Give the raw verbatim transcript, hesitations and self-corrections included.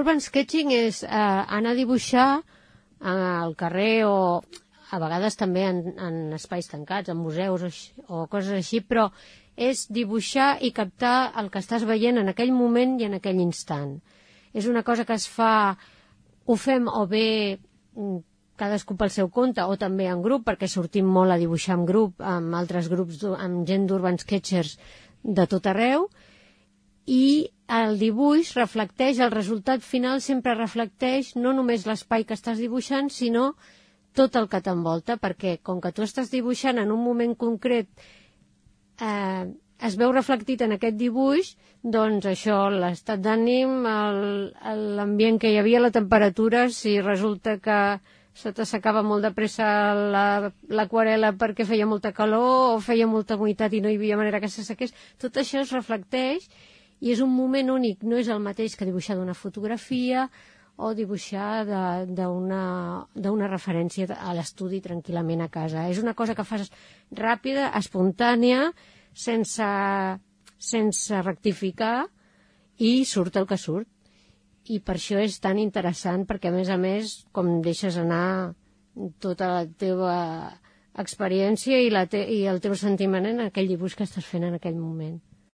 l'urban sketching és eh, anar a dibuixar al carrer o a vegades també en, en espais tancats, en museus o, o coses així, però és dibuixar i captar el que estàs veient en aquell moment i en aquell instant. És una cosa que es fa, ho fem o bé cadascú pel seu compte o també en grup, perquè sortim molt a dibuixar en grup, amb altres grups, amb gent d'urban sketchers de tot arreu, i el dibuix reflecteix, el resultat final sempre reflecteix no només l'espai que estàs dibuixant, sinó tot el que t'envolta, perquè com que tu estàs dibuixant en un moment concret, eh, es veu reflectit en aquest dibuix, doncs això, l'estat d'ànim, l'ambient que hi havia, la temperatura, si resulta que se t'assecava molt de pressa l'aquarela perquè feia molta calor o feia molta humitat i no hi havia manera que s'assequés, tot això es reflecteix i és un moment únic, no és el mateix que dibuixar d'una fotografia o dibuixar d'una referència a l'estudi tranquil·lament a casa. És una cosa que fas ràpida, espontània, sense, sense rectificar, i surt el que surt. I per això és tan interessant, perquè a més a més, com deixes anar tota la teva experiència i, la te i el teu sentiment en aquell dibuix que estàs fent en aquell moment.